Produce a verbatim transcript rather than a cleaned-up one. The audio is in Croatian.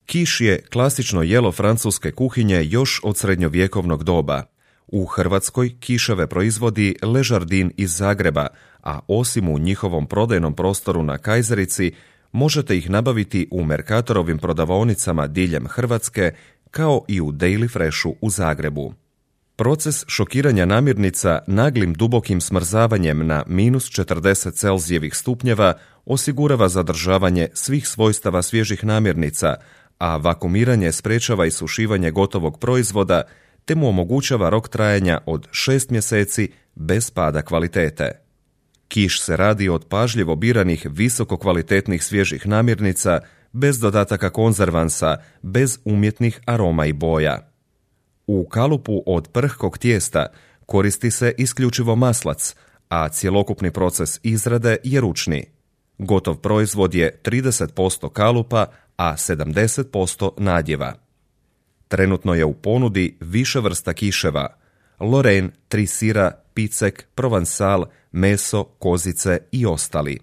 Kiš je klasično jelo francuske kuhinje još od srednjovjekovnog doba. U Hrvatskoj kiševe proizvodi Le Jardin iz Zagreba, a osim u njihovom prodajnom prostoru na Kajzerici, možete ih nabaviti u Merkatorovim prodavaonicama diljem Hrvatske, kao i u Daily Freshu u Zagrebu. Proces šokiranja namirnica naglim dubokim smrzavanjem na minus četrdeset Celzijevih stupnjeva osigurava zadržavanje svih svojstava svježih namirnica, a vakumiranje sprečava isušivanje gotovog proizvoda te mu omogućava rok trajanja od šest mjeseci bez pada kvalitete. Kiš se radi od pažljivo biranih visokokvalitetnih svježih namirnica, bez dodataka konzervansa, bez umjetnih aroma i boja. U kalupu od prhkog tijesta koristi se isključivo maslac, a cjelokupni proces izrade je ručni. Gotov proizvod je trideset posto kalupa, a sedamdeset posto nadjeva. Trenutno je u ponudi više vrsta kiševa: Lorraine, tri sira, picek, provençal, meso, kozice i ostali.